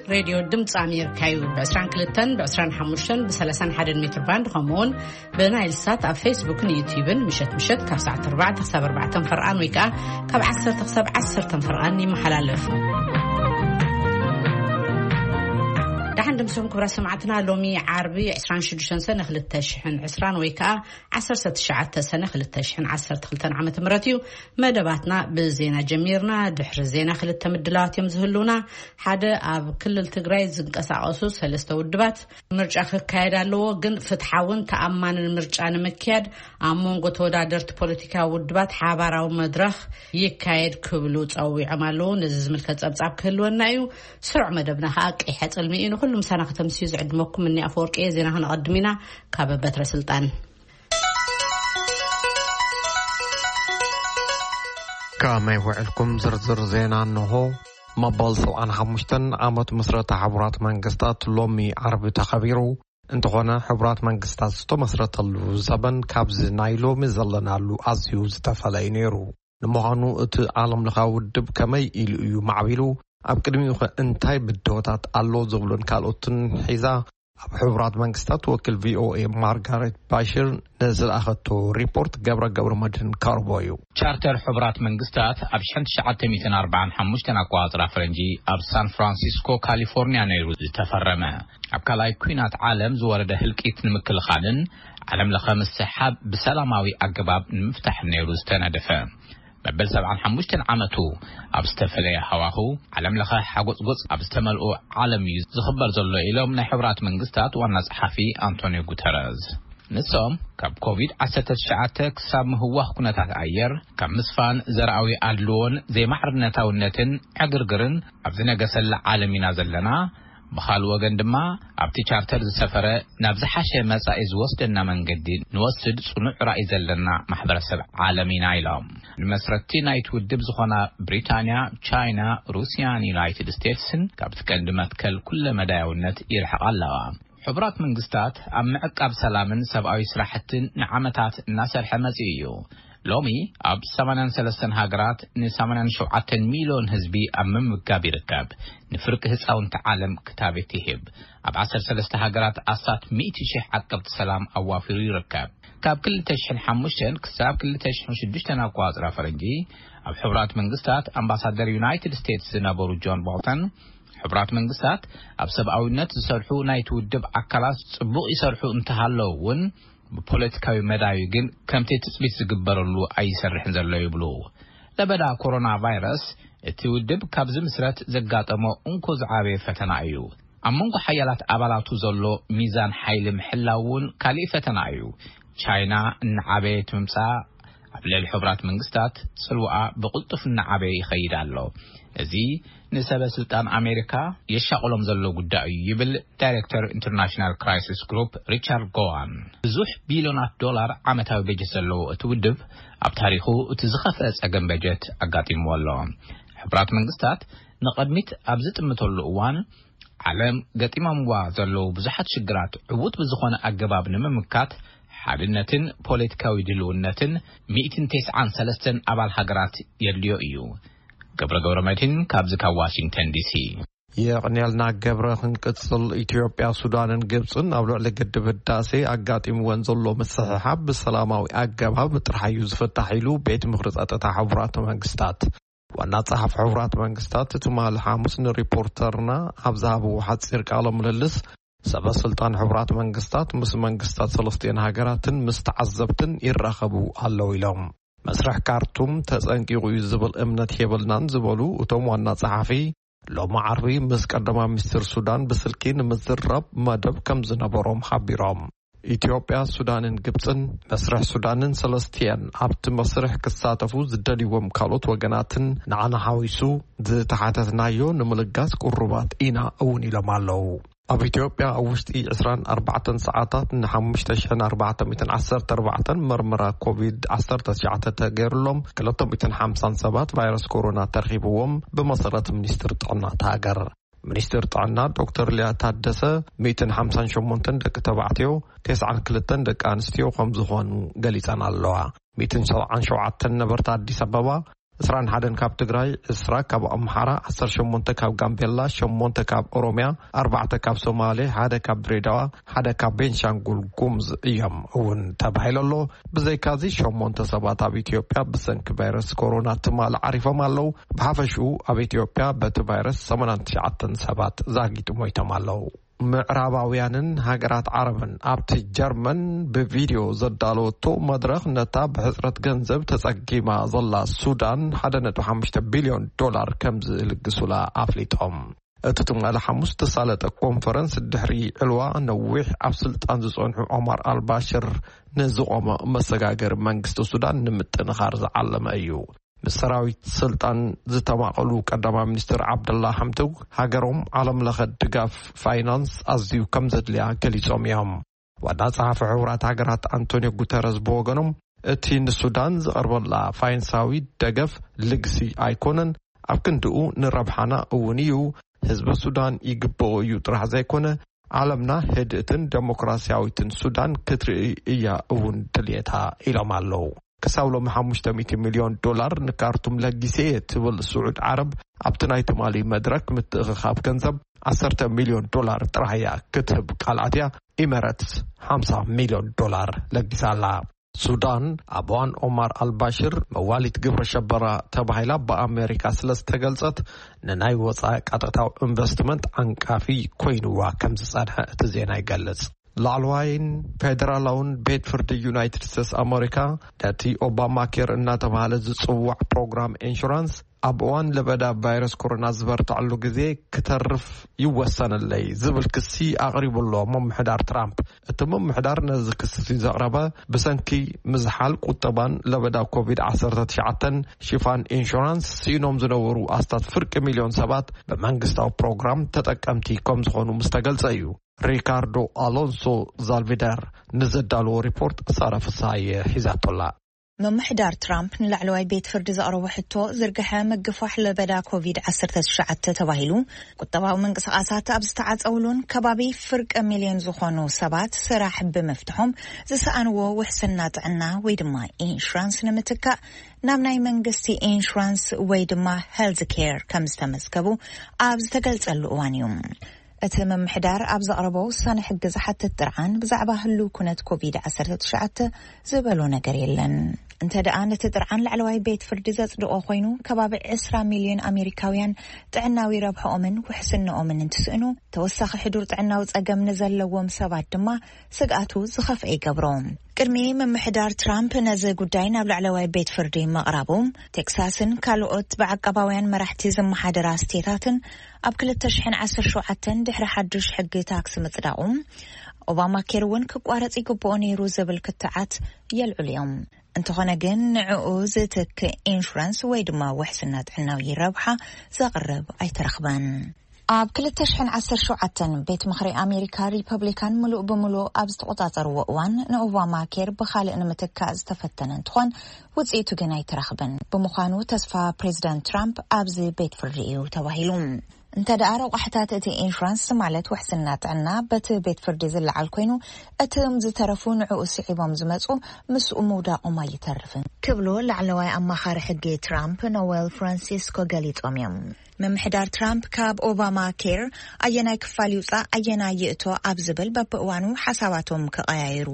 ሬድዮ ድምፂ ኣሜሪካ እዩ። ብ22፣ ብ25፣ ብ31 ሜትር ባንድ፣ ከምኡውን ብናይል ሳት ኣብ ፌስቡክን ዩቲዩብን ምሸት ምሸት ካብ ሰዓት 4 ክሳብ 4 ፈርቓን ወይ ከዓ ካብ 10 ክሳብ 10 ፈርቓን ይመሓላለፍ። ደሓን ድምሶም ክብራ ሰማዕትና፣ ሎሚ ዓርቢ 26 ሰነ 2020 ወይ ከዓ 19 ሰነ 2012 ዓመተ ምህረት እዩ። መደባትና ብዜና ጀሚርና። ድሕሪ ዜና ክልተ ምድላዋት እዮም ዝህልውና። ሓደ፣ ኣብ ክልል ትግራይ ዝንቀሳቐሱ ሰለስተ ውድባት፣ ምርጫ ክካየድ ኣለዎ፣ ግን ፍትሓውን ተኣማንን ምርጫ ንምክያድ ኣብ መንጎ ተወዳደርቲ ፖለቲካዊ ውድባት ሓባራዊ መድረኽ ይካየድ ክብሉ ጸዊዖም ኣለዉ። ነዚ ዝምልከት ጸብጻብ ክህልወና እዩ። ስሩዕ መደብና ከኣ ቀይሐ ጽልሚ እዩ። ንኹሉ ምሳና ከተምስዩ ዝዕድመኩም እኒ ኣፈወርቂ እየ። ዜና ክነቐድም ኢና። ካብ በትረ ስልጣን። ከመይ ውዕልኩም? ዝርዝር ዜና እንሆ። መበል 75 ዓመት ምስረታ ሕቡራት መንግስታት ሎሚ ዓርቢ ተኸቢሩ። እንተኾነ፣ ሕቡራት መንግስታት ዝተመስረተሉ ዘበን ካብዚ ናይ ሎሚ ዘለናሉ ኣዝዩ ዝተፈለዩ ነይሩ። ንምዃኑ፣ እቲ ዓለም ለኻዊ ውድብ ከመይ ኢሉ እዩ ማዕቢሉ? ኣብ ቅድሚኡ ኸ እንታይ ብድሆታት ኣሎ? ዝብሉን ካልኦትን ሒዛ ኣብ ሕቡራት መንግስታት ወኪል ቪ ኦ ኤ ማርጋሬት ባሽር ንዝለኣኸቶ ሪፖርት ገብረ ገብረ መድህን ካርቦ እዩ። ቻርተር ሕቡራት መንግስታት ኣብ 1945 ኣቆጻጽራ ፈረንጂ ኣብ ሳን ፍራንሲስኮ ካሊፎርኒያ ነይሩ ዝተፈረመ። ኣብ ካልኣይ ኲናት ዓለም ዝወረደ ህልቂት ንምክልኻልን ዓለም ለኸ ምስሕሓብ ብሰላማዊ ኣገባብ ንምፍታሕን ነይሩ ዝተነደፈ። መበል 75 ዓመቱ ኣብ ዝተፈለየ ሃዋሁ ዓለም ለኸ ሓጎጽጎጽ ኣብ ዝተመልኦ ዓለም እዩ ዝኽበር ዘሎ ኢሎም ናይ ሕቡራት መንግስታት ዋና ጸሓፊ ኣንቶኒዮ ጉተረዝ። ንሶም ካብ ኮቪድ-19 ክሳብ ምህዋኽ ኩነታት ኣየር፣ ካብ ምስፋን ዘርኣዊ ኣድልዎን ዘይማዕርነታውነትን ዕግርግርን ኣብ ዝነገሰላ ዓለም ኢና ዘለና። ብኻልእ ወገን ድማ ኣብቲ ቻርተር ዝሰፈረ ናብ ዝሓሸ መጻኢ ዝወስደና መንገዲ ንወስድ ጽኑዕ ራእይ ዘለና ማሕበረሰብ ዓለም ኢና ኢሎም። ንመስረቲ ናይቲ ውድብ ዝኾና ብሪታንያ፣ ቻይና፣ ሩስያን ዩናይትድ ስቴትስን ካብቲ ቀንዲ መትከል ኩለ መዳያውነት ይርሕቓ ኣለዋ። ሕቡራት መንግስታት ኣብ ምዕቃብ ሰላምን ሰብኣዊ ስራሕትን ንዓመታት እናሰርሐ መጺኡ እዩ። ሎሚ ኣብ 83 ሃገራት ን87 ሚልዮን ህዝቢ ኣብ ምምጋብ ይርከብ። ንፍርቂ ህፃውንቲ ዓለም ክታበት ይህብ። ኣብ 13 ሃገራት ኣስታት 100,000 ዓቀብቲ ሰላም ኣዋፊሩ ይርከብ። ካብ 2005 ክሳብ 2006 ኣቆፃፅራ ፈረንጂ ኣብ ሕቡራት መንግስታት ኣምባሳደር ዩናይትድ ስቴትስ ዝነበሩ ጆን ቦልተን፣ ሕቡራት መንግስታት ኣብ ሰብኣዊነት ዝሰርሑ ናይቲ ውድብ ኣካላት ጽቡቕ ይሰርሑ እንተሃለዉ እውን፣ ብፖለቲካዊ መዳዩ ግን ከምቲ ትጽቢት ዝግበረሉ ኣይሰርሕን ዘሎ ይብሉ። ለበዳ ኮሮና ቫይረስ እቲ ውድብ ካብ ዝምስረት ዘጋጠሞ እንኮ ዝዓበየ ፈተና እዩ። ኣብ መንጎ ሓያላት ኣባላቱ ዘሎ ሚዛን ሓይሊ ምሕላው እውን ካሊእ ፈተና እዩ። ቻይና እናዓበየት ምምጻኣ ኣብ ልዕሊ ሕቡራት መንግስታት ጽልዋኣ ብቕልጡፍ እናዓበየ ይኸይድ ኣሎ። እዚ ንሰበ ስልጣን ኣሜሪካ የሻቕሎም ዘሎ ጉዳይ እዩ ይብል ዳይሬክተር ኢንተርናሽናል ክራይሲስ ግሩፕ ሪቻርድ ጎዋን። ብዙሕ ቢልዮናት ዶላር ዓመታዊ በጀት ዘለዎ እቲ ውድብ ኣብ ታሪኹ እቲ ዝኸፍአ ጸገም በጀት ኣጋጢምዎ ኣሎ። ሕቡራት መንግስታት ንቕድሚት ኣብ ዝጥምተሉ እዋን ዓለም ገጢሞምዋ ዘለዉ ብዙሓት ሽግራት ዕዉት ብዝኾነ ኣገባብ ንምምካት ሓድነትን ፖለቲካዊ ድልውነትን 193 ኣባል ሃገራት የድልዮ እዩ። ገብረ ገብረ መድህን ካብዚ ካብ ዋሽንግተን ዲሲ። የቕንየልና ገብረ። ክንቅጽል፣ ኢትዮጵያ፣ ሱዳንን ግብጽን ኣብ ልዕሊ ግድብ ህዳሴ ኣጋጢምወን ዘሎ ምስሕሓብ ብሰላማዊ ኣገባብ ጥራሕ እዩ ዝፍታሕ ኢሉ ቤት ምኽሪ ጸጥታ ሕቡራት መንግስታት። ዋና ጸሓፊ ሕቡራት መንግስታት ትማሊ ሓሙስ ንሪፖርተርና ኣብ ዝሃብዎ ሓጺር ቃለ ምልልስ፣ ሰበ ስልጣን ሕቡራት መንግስታት ምስ መንግስታት ሰለስቲአን ሃገራትን ምስ ተዓዘብትን ይራኸቡ ኣለዉ ኢሎም። መስርሕ ካርቱም ተጸንቂቑ እዩ ዝብል እምነት የብልናን ዝበሉ እቶም ዋና ጸሓፊ፣ ሎሚ ዓርቢ ምስ ቀዳማይ ሚኒስትር ሱዳን ብስልኪ ንምዝራብ መደብ ከም ዝነበሮም ሓቢሮም። ኢትዮጵያ፣ ሱዳንን ግብጽን መስርሕ ሱዳንን ሰለስቲአን ኣብቲ መስርሕ ክሳተፉ ዝደልይዎም ካልኦት ወገናትን ንዓና ሓዊሱ ዝተሓተትናዮ ንምልጋስ ቅሩባት ኢና እውን ኢሎም ኣለዉ። ኣብ ኢትዮጵያ ኣብ ውሽጢ 24 ሰዓታት ን5,414 መርመራ ኮቪድ-19 ተገይሩሎም፣ 250 ሰባት ቫይረስ ኮሮና ተረኺብዎም፣ ብመሰረት ሚኒስትር ጥዕና እታ ሃገር። ሚኒስትር ጥዕና ዶክተር ሊያ ታደሰ፣ 158 ደቂ ተባዕትዮ፣ 92 ደቂ ኣንስትዮ ከም ዝኾኑ ገሊጸን ኣለዋ። 177 ነበርቲ ኣዲስ ኣበባ፣ ዕስራን ሓደን ካብ ትግራይ፣ ዕስራ ካብ ኣምሓራ፣ ዓሰርተ ሸሞንተ ካብ ጋምቤላ፣ ሸሞንተ ካብ ኦሮምያ፣ ኣርባዕተ ካብ ሶማሌ፣ ሓደ ካብ ድሬዳዋ፣ ሓደ ካብ ቤንሻንጉል ጉሙዝ እዮም እውን ተባሂሉ ኣሎ። ብዘይካዚ ሸሞንተ ሰባት ኣብ ኢትዮጵያ ብሰንኪ ቫይረስ ኮሮና ትማሊ ዓሪፎም ኣለዉ። ብሓፈሽኡ ኣብ ኢትዮጵያ በቲ ቫይረስ ሰማንያን ትሽዓተን ሰባት ዛጊት ሞይቶም ኣለዉ። ምዕራባውያንን ሃገራት ዓረብን ኣብቲ ጀርመን ብቪድዮ ዘዳለወቶ መድረኽ፣ ነታ ብሕጽረት ገንዘብ ተጸጊማ ዘላ ሱዳን ሓደ ነጥቢ ሓሙሽተ ቢልዮን ዶላር ከም ዝልግሱላ ኣፍሊጦም። እቲ ትማሊ ሓሙስ ተሳለጠ ኮንፈረንስ፣ ድሕሪ ዕልዋ ነዊሕ ኣብ ስልጣን ዝጸንሑ ኦማር ኣልባሽር ንዝቖመ መሰጋገሪ መንግስቲ ሱዳን ንምጥንኻር ዝዓለመ እዩ። ምስ ሰራዊት ስልጣን ዝተማቐሉ ቀዳማይ ሚኒስትር ዓብደላ ሓምዶክ፣ ሃገሮም ዓለም ለኸ ድጋፍ ፋይናንስ ኣዝዩ ከም ዘድልያ ገሊጾም እዮም። ዋና ጸሓፊ ሕቡራት ሃገራት ኣንቶኒዮ ጉተረዝ ብወገኖም፣ እቲ ንሱዳን ዝቐርበላ ፋይናንሳዊ ደገፍ ልግሲ ኣይኮነን፣ ኣብ ክንድኡ ንረብሓና እውን እዩ። ህዝቢ ሱዳን ይግብኦ እዩ ጥራሕ ዘይኮነ፣ ዓለምና ህድእትን ደሞክራሲያዊትን ሱዳን ክትርኢ እያ እውን ድልየታ ኢሎም ኣለዉ። ክሳብ ሎሚ ሓሙሽተ ሚእቲ ሚልዮን ዶላር ንካርቱም ለጊሰ እየ ትብል ስዑድ ዓረብ፣ ኣብቲ ናይ ትማሊ መድረክ ምትእኽኻብ ገንዘብ ዓሰርተ ሚልዮን ዶላር ጥራሕ እያ ክትህብ ቃል ኣትያ። ኢመረትስ ሓምሳ ሚልዮን ዶላር ለጊሳ ኣላ። ሱዳን ኣብ እዋን ኦማር ኣልባሽር መዋሊት ግብረ ሸበራ ተባሂላ ብኣሜሪካ ስለ ዝተገልጸት፣ ንናይ ወጻኢ ቀጥታዊ ኢንቨስትመንት ዓንቃፊ ኮይንዋ ከም ዝጸንሐ እቲ ዜና ይገልጽ። ላዕለዋይን ፌደራላውን ቤት ፍርዲ ዩናይትድ ስቴትስ ኣሜሪካ፣ ነቲ ኦባማ ኬር እናተባህለ ዝጽዋዕ ፕሮግራም ኢንሹራንስ፣ ኣብ እዋን ለበዳ ቫይረስ ኮሮና ዝበርትዐሉ ግዜ ክተርፍ ይወሰነለይ ዝብል ክሲ ኣቕሪቡ ኣሎ ምምሕዳር ትራምፕ። እቲ ምምሕዳር ነዚ ክሲ ዘቕረበ፣ ብሰንኪ ምዝሓል ቁጠባን ለበዳ ኮቪድ ዓሰርተ ትሽዓተ ሽፋን ኢንሹራንስ ስኢኖም ዝነበሩ ኣስታት ፍርቂ ሚልዮን ሰባት ብመንግስታዊ ፕሮግራም ተጠቀምቲ ከም ዝኾኑ ምስ ተገልጸ እዩ። ሪካርዶ ኣሎንሶ ዛልቪደር ንዘዳለዎ ሪፖርት ሳራ ፍስሃየ ሒዛቶላ። ምምሕዳር ትራምፕ ንላዕለዋይ ቤት ፍርዲ ዘቕረቦ ሕቶ፣ ዝርግሐ ምግፋሕ ለበዳ ኮቪድ ዓሰርተ ትሽዓተ ተባሂሉ ቁጠባዊ ምንቅስቓሳት ኣብ ዝተዓጸውሉን ከባቢ ፍርቂ ሚልዮን ዝኾኑ ሰባት ስራሕ ብምፍትሖም ዝሰኣንዎ ውሕስና ጥዕና ወይ ድማ ኢንሹራንስ ንምትካእ ናብ ናይ መንግስቲ ኢንሹራንስ ወይ ድማ ሄልዝ ኬር ከም ዝተመዝገቡ ኣብ ዝተገልጸሉ እዋን እዩ። እቲ ምምሕዳር ኣብ ዘቕረቦ ውሳነ ሕጊ ዝሓትት ጥርዓን ብዛዕባ ህሉው ኩነት ኮቪድ ዓሰርተ ትሽዓተ ዝበሎ ነገር የለን። እንተ ደኣ ነቲ ጥርዓን ላዕለዋይ ቤት ፍርዲ ዘጽድቖ ኮይኑ፣ ከባቢ ዕስራ ሚልዮን ኣሜሪካውያን ጥዕናዊ ረብሕኦምን ውሕስንኦምን እንትስእኑ፣ ተወሳኺ ሕዱር ጥዕናዊ ጸገም ንዘለዎም ሰባት ድማ ስግኣቱ ዝኸፍአ ይገብሮ። ቅድሚ ምምሕዳር ትራምፕ ነዚ ጉዳይ ናብ ላዕለዋይ ቤት ፍርዲ ምቕራቡ፣ ቴክሳስን ካልኦት ብዓቃባውያን መራሕቲ ዝመሓደራ ስቴታትን ኣብ ክልተ ሽሕን ዓሰርተ ሸውዓተን ድሕሪ ሓዱሽ ሕጊ ታክስ ምጽዳቑ፣ ኦባማ ኬር እውን ክቋረጽ ይግብኦ ነይሩ ዝብል ክትዓት የልዕሉ እዮም። እንተኾነ ግን፣ ንዕኡ ዝትክእ ኢንሹራንስ ወይ ድማ ውሕስና ጥዕናዊ ረብሓ ዘቕርብ ኣይተረኽበን። ኣብ ክልተ ሽሕን ዓሰርተ ሸውዓተን ቤት ምኽሪ ኣሜሪካ፣ ሪፐብሊካን ምሉእ ብምሉእ ኣብ ዝተቖጻጸርዎ እዋን፣ ንኦባማ ኬር ብኻልእ ንምትካእ ዝተፈተነ እንትኾን፣ ውጽኢቱ ግን ኣይተረኽበን። ብምዃኑ፣ ተስፋ ፕሬዚዳንት ትራምፕ ኣብዚ ቤት ፍርዲ እዩ ተባሂሉ። እንተ ደኣ ረቋሕታት እቲ ኢንሹራንስ፣ ማለት ውሕስና ጥዕና፣ በቲ ቤት ፍርዲ ዝለዓል ኮይኑ፣ እቶም ዝተረፉ ንዕኡ ስዒቦም ዝመጹ ምስኡ ምውዳቖም ኣይተርፍን ክብሉ ላዕለዋይ ኣማኻሪ ሕጊ ትራምፕ ኖዌል ፍራንሲስኮ ገሊጾም እዮም። ምምሕዳር ትራምፕ ካብ ኦባማ ኬር ኣየናይ ክፋል ይውጻእ ኣየናይ ይእቶ ኣብ ዝብል በብእዋኑ ሓሳባቶም ክቐያየሩ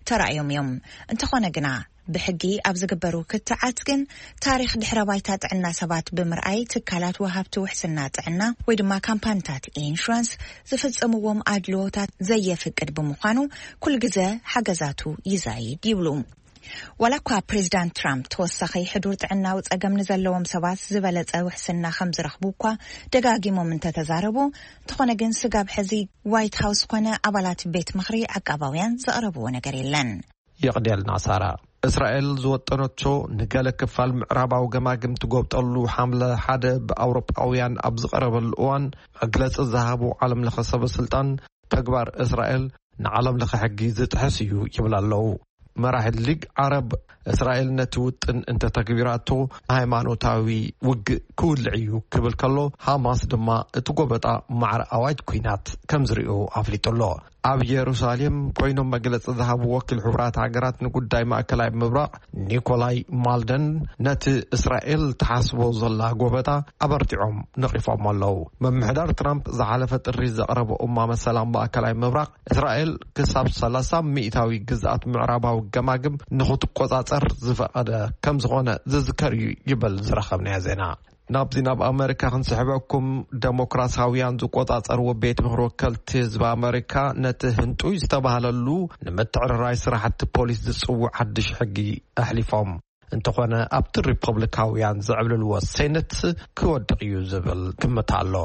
ተራእዮም እዮም። እንተኾነ ግና፣ ብሕጊ ኣብ ዝግበሩ ክትዓት ግን፣ ታሪኽ ድሕረ ባይታ ጥዕና ሰባት ብምርኣይ፣ ትካላት ወሃብቲ ውሕስና ጥዕና ወይ ድማ ካምፓኒታት ኢንሹራንስ ዝፍጽምዎም ኣድልዎታት ዘየፍቅድ ብምዃኑ፣ ኩሉ ግዘ ሓገዛቱ ይዛይድ ይብሉ። ዋላ እኳ ፕሬዚዳንት ትራምፕ ተወሳኺ ሕዱር ጥዕናዊ ጸገም ንዘለዎም ሰባት ዝበለጸ ውሕስና ከም ዝረኽቡ እኳ ደጋጊሞም እንተተዛረቡ፣ እንተኾነ ግን፣ ስጋብ ሕዚ ዋይት ሃውስ ኮነ ኣባላት ቤት ምኽሪ ዓቃባውያን ዘቕረብዎ ነገር የለን። የቕድየልና ሳራ። እስራኤል ዝወጠነቶ ንገለ ክፋል ምዕራባዊ ገማግም ትጎብጠሉ ሓምለ ሓደ ብኣውሮጳውያን ኣብ ዝቐረበሉ እዋን፣ መግለጺ ዝሃቡ ዓለም ለኸ ሰበ ስልጣን፣ ተግባር እስራኤል ንዓለም ለኸ ሕጊ ዝጥሕስ እዩ ይብል ኣለዉ። መራሒ ሊግ ዓረብ፣ እስራኤል ነቲ ውጥን እንተተግቢራቶ፣ ሃይማኖታዊ ውግእ ክውልዕ እዩ ክብል ከሎ፣ ሃማስ ድማ እቲ ጎበጣ ማዕረ ኣዋጅ ኲናት ከም ዝሪኦ ኣፍሊጡ ኣሎ። ኣብ ኢየሩሳሌም ኮይኖም መግለጺ ዝሃቡ ወኪል ሕቡራት ሃገራት ንጉዳይ ማእከላይ ምብራቕ ኒኮላይ ማልደን፣ ነቲ እስራኤል ትሓስቦ ዘላ ጎበጣ ኣበርቲዖም ነቒፎም ኣለዉ። ምምሕዳር ትራምፕ ዝሓለፈ ጥሪ ዘቕረቦ እማመ ሰላም ማእከላይ ምብራቕ፣ እስራኤል ክሳብ ሰላሳ ሚእታዊ ግዝኣት ምዕራባዊ ገማግም ንኽትቆጻጸር ዝፈቐደ ከም ዝኾነ ዝዝከር እዩ ይብል ዝረኸብናዮ ዜና። ናብዚ ናብ ኣመሪካ ክንስሕበኩም፣ ደሞክራሲያውያን ዝቆጻጸርዎ ቤት ምኽሪ ወከልቲ ህዝቢ ኣመሪካ ነቲ ህንጡይ ዝተባህለሉ ንምትዕርራይ ስራሕቲ ፖሊስ ዝጽውዕ ሓድሽ ሕጊ ኣሕሊፎም። እንተኾነ ኣብቲ ሪፐብሊካውያን ዘዕብልልዎ ሴነት ክወድቕ እዩ ዝብል ግምት ኣሎ።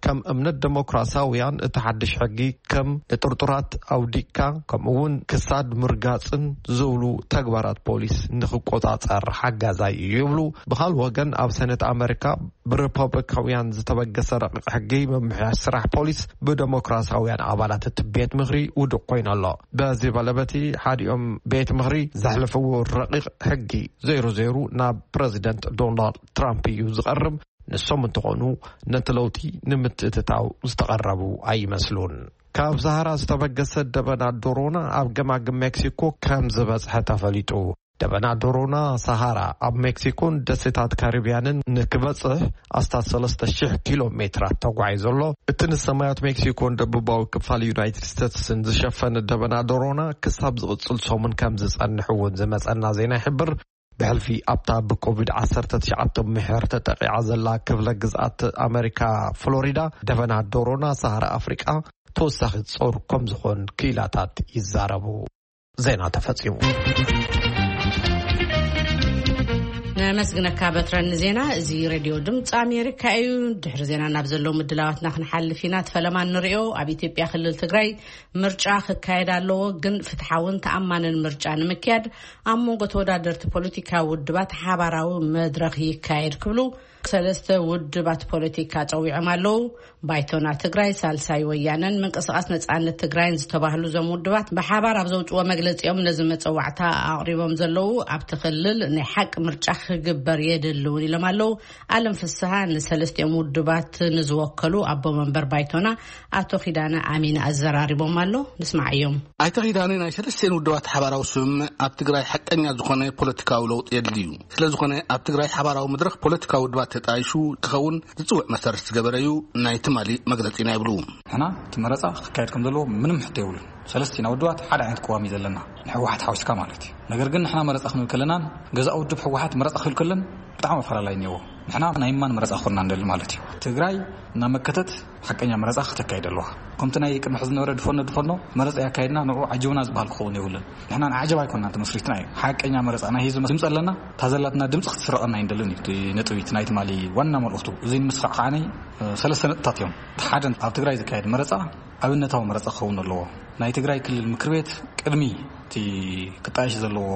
ከም እምነት ደሞክራሲያውያን እቲ ሓድሽ ሕጊ ከም ንጥርጡራት ኣውዲቕካ ከምኡ እውን ክሳድ ምርጋጽን ዝብሉ ተግባራት ፖሊስ ንኽቆጻጸር ሓጋዛይ እዩ ይብሉ። ብኻልእ ወገን ኣብ ሰነት ኣመሪካ ብሪፐብሊካውያን ዝተበገሰ ረቂቕ ሕጊ ምምሕያሽ ስራሕ ፖሊስ ብደሞክራሲያውያን ኣባላት እቲ ቤት ምኽሪ ውዱቕ ኮይኑ ኣሎ። በዚ በለበቲ ሓዲኦም ቤት ምኽሪ ዘሕለፍዎ ረቂቕ ሕጊ ዜሮ ዜሮ ናብ ፕረዚደንት ዶናልድ ትራምፕ እዩ ዝቐርብ። ንሶም እንተኾኑ ነቲ ለውጢ ንምትእትታው ዝተቐረቡ ኣይመስሉን። ካብ ሰሃራ ዝተበገሰ ደበና ዶሮና ኣብ ገማግም ሜክሲኮ ከም ዝበጽሐ ተፈሊጡ። ደበና ዶሮና ሰሃራ ኣብ ሜክሲኮን ደሴታት ካሪብያንን ንክበጽሕ ኣስታት ሰለስተ ሽሕ ኪሎ ሜትራት ተጓዒዙ ኣሎ። እቲ ንሰማያት ሜክሲኮን ደቡባዊ ክፋል ዩናይትድ ስቴትስን ዝሸፈነ ደበና ዶሮና ክሳብ ዝቕጽል ሰሙን ከም ዝጸንሕ እውን ዝመጸና ዜና ይሕብር። ብሕልፊ ኣብታ ብኮቪድ ዓሰርተ ትሽዓተ ምሕር ተጠቂዓ ዘላ ክፍለ ግዝኣት ኣመሪካ ፍሎሪዳ፣ ደበና ዶሮና ሰሃራ ኣፍሪቃ ተወሳኺ ጾር ከም ዝኾን ክኢላታት ይዛረቡ። ዜና ተፈጺሙ። ነመስግነካ በትረን ዜና። እዚ ሬድዮ ድምፂ ኣሜሪካ እዩ። ድሕሪ ዜና ናብ ዘለዉ ምድላዋትና ክንሓልፍ ኢና። እቲ ፈለማ እንሪኦ ኣብ ኢትዮጵያ ክልል ትግራይ ምርጫ ክካየድ ኣለዎ፣ ግን ፍትሓውን ተኣማንን ምርጫ ንምክያድ ኣብ መንጎ ተወዳደርቲ ፖለቲካዊ ውድባት ሓባራዊ መድረኽ ይካየድ ክብሉ ሰለስተ ውድባት ፖለቲካ ጸዊዖም ኣለዉ። ባይቶና ትግራይ፣ ሳልሳይ ወያነን ምንቅስቃስ ነጻነት ትግራይን ዝተባህሉ እዞም ውድባት ብሓባር ኣብ ዘውጽዎ መግለጺኦም ነዚ መጸዋዕታ ኣቕሪቦም ዘለዉ ኣብቲ ክልል ናይ ሓቂ ምርጫ ክግበር የድሊ እውን ኢሎም ኣለዉ። ኣለም ፍስሃ ንሰለስቲኦም ውድባት ንዝወከሉ ኣቦ መንበር ባይቶና ኣቶ ኪዳነ ኣሚን ኣዘራሪቦም ኣሎ። ንስማዓዮም። ኣይተ ኪዳነ ናይ ሰለስቲኤን ውድባት ሓባራዊ ስምምዕ ኣብ ትግራይ ሓቀኛ ዝኾነ ፖለቲካዊ ለውጢ የድልዩ። ስለ ዝኾነ ኣብ ትግራይ ሓባራዊ መድረኽ ፖለቲካዊ ውድባት ተጣይሹ ክኸውን ዝጽውዕ መሰረት ዝገበረ እዩ ናይ ትማሊ መግለጺና ይብሉ። ንሕና እቲ መረጻ ክካየድ ከም ዘለዎ ምንም ሕቶ የብሉን። ሰለስቲና ውድባት ሓደ ዓይነት ቅዋም እዩ ዘለና፣ ንሕወሓት ሓዊስካ ማለት እዩ። ነገር ግን ንሕና መረጻ ክንብል ከለናን ገዛእ ውድብ ሕወሓት መረጻ ክብል ከለን ብጣዕሚ ኣፈላላይ እኒአዎ። ንሕና ናይ ማን መረጻ ክኾንና ንደሊ ማለት እዩ። ትግራይ እናመከተት ሓቀኛ መረጻ ክተካይድ ኣለዋ። ከምቲ ናይ ቅድሚ ሕዚ ዝነበረ ድፈኖ ድፈኖ መረጻ ያካየድና ንዑ ዓጅቡና ዝበሃል ክኸውን የብሉን። ንሕና ንዓጀብ ኣይኮንና ተመስሪትና እዩ። ሓቀኛ መረጻ ናይ ህዝቢ ድምፂ ኣለና። እታ ዘላትና ድምፂ ክትስረቐና ኣይንደልን እዩ። እቲ ነጥቢ እቲ ናይ ትማሊ ዋና መልእኽቱ እዚ ንምስኻዕ ከዓኒ፣ እ፣ ሰለስተ ነጥብታት እዮም። እቲ ሓደ ኣብ ትግራይ ዝካየድ መረጻ ኣብነታዊ መረጻ ክኸውን ኣለዎ። ናይ ትግራይ ክልል ምክር ቤት ቅድሚ እቲ ክጣየሽ ዘለዎ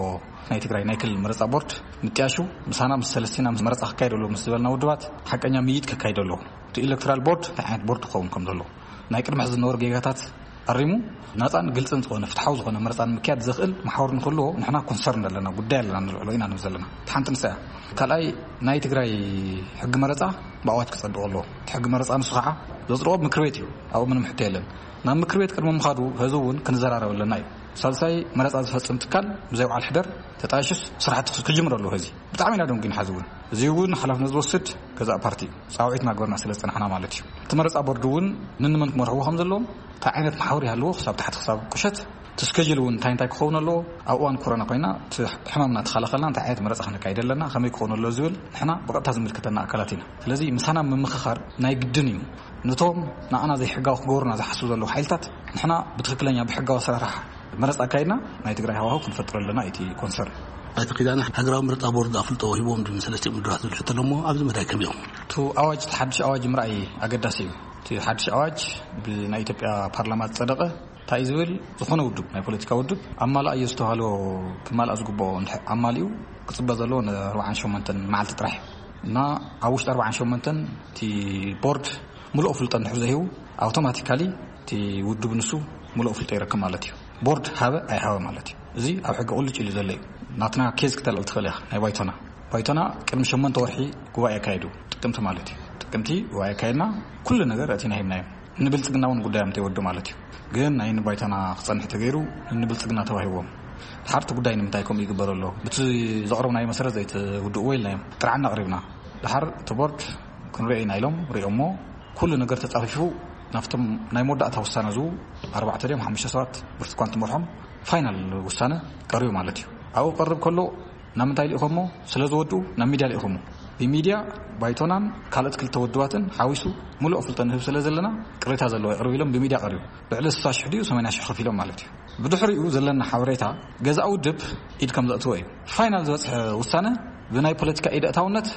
ናይ ትግራይ ናይ ክልል መረጻ ቦርድ ምጥያሹ ምሳና ምስ ሰለስቲና ምስ መረጻ ክካየድ ኣለዎ ምስ ዝበልና ውድባት ሓቀኛ ምይይጥ ከካይድ ኣለዎ። እቲ ኤሌክቶራል ቦርድ እንታይ ዓይነት ቦርድ ክኸውን ከም ዘለዎ ናይ ቅድሚ ሕዚ ዝነበሩ ጌጋታት ኣሪሙ ናጻን ግልጽን ዝኾነ ፍትሓዊ ዝኾነ መረጻ ንምክያድ ዘኽእል መሓውር ንክህልዎ ንሕና ኮንሰርን ኣለና፣ ጉዳይ ኣለና፣ ንልዕሎ ኢና ንብል ዘለና። እቲ ሓንቲ ንሳ እያ። ካልኣይ ናይ ትግራይ ሕጊ መረጻ ብኣዋጅ ክጸድቕ ኣለዎ። እቲ ሕጊ መረጻ ንሱ ከዓ ዘጽድቖ ምክር ቤት እዩ። ኣብኡ ምንም ሕቶ የለን። ናብ ምክር ቤት ቅድሚ ምኻዱ ህዝቢ እውን ክንዘራረብ ኣለና እዩ። ሳልሳይ መረጻ ዝፈጽም ትካል ብዘይ በዓል ሕደር ተጣይሹስ ስራሕቲ ክጅምር ኣለዎ። ህዚ ብጣዕሚ ኢና ደንጉና። ሕዚ እውን እዚ እውን ሓላፍነት ዝወስድ ገዛእ ፓርቲ እዩ። ጻውዒት እናገበርና ስለ ዝጸናሕና ማለት እዩ። እቲ መረጻ ቦርድ እውን ንንመን ክመርሕዎ ከም ዘለዎም፣ እንታይ ዓይነት መሓውር ይሃልዎ፣ ክሳብ ታሕቲ ክሳብ ቁሸት፣ እቲ ስኬጁል እውን እንታይ እንታይ ክኸውን ኣለዎ፣ ኣብ እዋን ኮሮና ኮይና እቲ ሕማም እናተኸላኸልና እንታይ ዓይነት መረጻ ክነካይድ ኣለና፣ ከመይ ክኸውን ኣለዎ ዝብል ንሕና ብቐጥታ ዝምልከተና ኣካላት ኢና። ስለዚ ምሳና ምምኽኻር ናይ ግድን እዩ። ነቶም ንኣና ዘይሕጋዊ ክገብሩና ዝሓስቡ ዘለዉ ሓይልታት ንሕና ብትኽክለኛ ብሕጋዊ ኣሰራርሓ መረጻ ኣካይድና ናይ ትግራይ ሃዋህው ክንፈጥር ኣለና። እቲ ኮንሰርን ኣይተ ኪዳነ፣ ሃገራዊ ምርጫ ቦርድ ኣፍልጦ ሂቦም ድዩ ንሰለስቲኦም ውድባት ዝብል ሕቶ ኣሎ እሞ ኣብዚ መዳይ ከመይ ኢኹም? እቲ ኣዋጅ፣ እቲ ሓድሽ ኣዋጅ ምርኣይ ኣገዳሲ እዩ። እቲ ሓድሽ ኣዋጅ ብናይ ኢትዮጵያ ፓርላማ ዝጸደቐ እንታይ እዩ ዝብል፣ ዝኾነ ውድብ፣ ናይ ፖለቲካ ውድብ ኣማላእዮ ዝተባህሎ ክማልኣ ዝግብኦ እንድሕር ኣማሊኡ ክጽበ ዘለዎ ን ኣርባዓን ሸሞንተን መዓልቲ ጥራሕ እዩ። እና ኣብ ውሽጢ ኣርባዓን ሸሞንተን እቲ ቦርድ ምሉእ ፍልጦ እንድሕር ዘሂቡ፣ ኣውቶማቲካሊ እቲ ውድብ ንሱ ምሉእ ፍልጦ ይረክብ ማለት እዩ። ቦርድ ሃበ ኣይሃበ ማለት እዩ። እዚ ኣብ ሕጊ ቁልጭ ኢሉ ዘሎ እዩ። ናትና ኬዝ ክተልዕል ትኽእል ኢኻ። ናይ ባይቶና፣ ባይቶና ቅድሚ ሸሞንተ ወርሒ ጉባኤ ኣካይዱ፣ ጥቅምቲ ማለት እዩ። ጥቅምቲ ጉባኤ ኣካይድና፣ ኩሉ ነገር ኣእቲና ሂብናዮም። ንብልጽግና እውን ጉዳዮም እንተይወዱ ማለት እዩ። ግን ናይ ንባይቶና ክጸንሕ ተገይሩ ንብልጽግና ተዋሂዎም። ድሓርቲ ጉዳይ ንምንታይ ከምኡ ይግበር ኣሎ? ብቲ ዘቕረብናዮ መሰረት ዘይትውድእዎ ኢልናዮም። ጥርዓና ኣቕሪብና። ድሓር እቲ ቦርድ ክንሪኦ ኢና ኢሎም ሪኦሞ። ኩሉ ነገር ተጻፊፉ ናብቶም ናይ መወዳእታ ውሳነ ዝው ኣርባዕተ ድዮም ሓሙሽተ ሰባት ብርቱኳን ትመርሖም ፋይናል ውሳነ ቀሪቡ ማለት እዩ። ኣብኡ ቀርብ ከሎ ናብ ምንታይ ልእኸሞ? ስለ ዝወድኡ ናብ ሚድያ ልእኸሞ። ብሚድያ ባይቶናን ካልኦት ክልተ ውድባትን ሓዊሱ ሙሉእ ኣፍልጦ ንህብ ስለ ዘለና ቅሬታ ዘለዎ ይቕርብ ኢሎም ብሚድያ ቀሪቡ። ልዕሊ ስሳ ሽሕ ድዩ ሰማንያ ሽሕ ከፊሎም ማለት እዩ። ብድሕሪኡ ዘለና ሓበሬታ ገዛእ ውድብ ኢድ ከም ዘእትዎ እዩ። ፋይናል ዝበፅሐ ውሳነ ብናይ ፖለቲካ ኢድ ኣእታውነት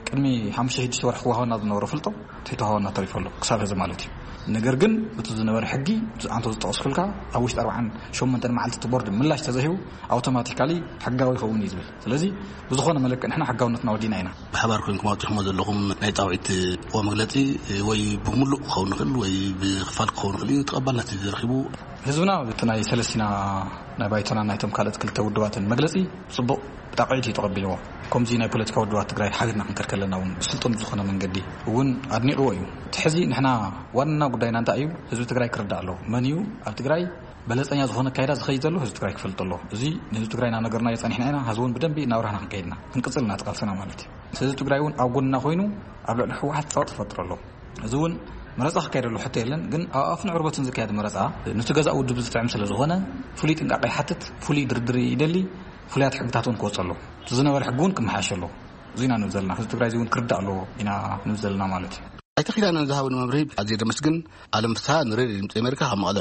ቅድሚ ሓሙሽተ ሽዱሽተ ወርሒ ክወሃበና ዝነበሮ ፍልጦ ተይተዋሃበና ተሪፉ ኣሎ ክሳብ ሕዚ ማለት እዩ። ነገር ግን እቲ ዝነበረ ሕጊ ኣንተ ዝጠቐስኩልካ ኣብ ውሽጢ ኣርባዓን ሸሞንተን መዓልቲ እቲ ቦርድ ምላሽ ተዘሂቡ ኣውቶማቲካሊ ሕጋዊ ይኸውን እዩ ዝብል። ስለዚ ብዝኾነ መለክዕ ንሕና ሕጋውነትና ወዲና ኢና። ብሓባር ኮይንኩም ኣውፂኹሞ ዘለኹም ናይ ፃውዒት መግለፂ ወይ ብምሉእ ክኸውን ይኽእል ወይ ብክፋል ክኸውን ይኽእል እዩ። ተቐባልነት እዩ ዝረኺቡ። ህዝብና እቲ ናይ ሰለስቲና ናይ ባይቶና ናይቶም ካልኦት ክልተ ውድባትን መግለፂ ፅቡቕ ብጣቕዒት እዩ ተቐቢልዎ። ከምዚ ናይ ፖለቲካ ውድባት ትግራይ ሓቢርና ክንከድ ከለና እውን ብስልጡን ዝኾነ መንገዲ እውን ኣድኒቕዎ እዩ። እቲ ሕዚ ንሕና ዋና ጉዳይና እንታይ እዩ? ህዝቢ ትግራይ ክርዳእ ኣለዎ። መን እዩ ኣብ ትግራይ በለፀኛ ዝኾነ ኣካይዳ ዝኸይድ ዘሎ ህዝቢ ትግራይ ክፈልጥ ኣለዎ። እዚ ንህዝቢ ትግራይ እናነገርናዮ ፀኒሕና ኢና። ሀዚ እውን ብደንቢ እናብራህና ክንከይድና ክንቅፅል ኢና እቲ ቃልስና ማለት እዩ። ህዝቢ ትግራይ እውን ኣብ ጎንና ኮይኑ ኣብ ልዕሊ ህወሓት ፀቕጢ ይፈጥር ኣሎ። እዚ እውን መረፃ ክካየድ ኣሎ ሕቶ የለን። ግን ኣብ ኣፍን ዕርበትን ዝካየድ መረፃ ንቲ ገዛእ ውድብ ዝጥዕም ስለ ዝኾነ ፍሉይ ጥንቃቄ ይሓትት፣ ፍሉይ ድርድር ይደሊ፣ ፍሉያት ሕግታት እውን ክወፅ ኣሎ። እቲ ዝነበረ ሕጊ እውን ክመሓየሽ ኣሎ። እዚ ኢና ንብል ዘለና። ህዝቢ ትግራይ እዚ እውን ክርዳእ ኣለዎ ኢና ንብል ዘለና ማለት እዩ። ኣይተ ኪዳነ ንዝሃብን መብርሂ ኣዝየ ደመስግን። ኣለም ፍስሃ ንሬድዮ ድምፂ ኣሜሪካ ካብ መቐለ።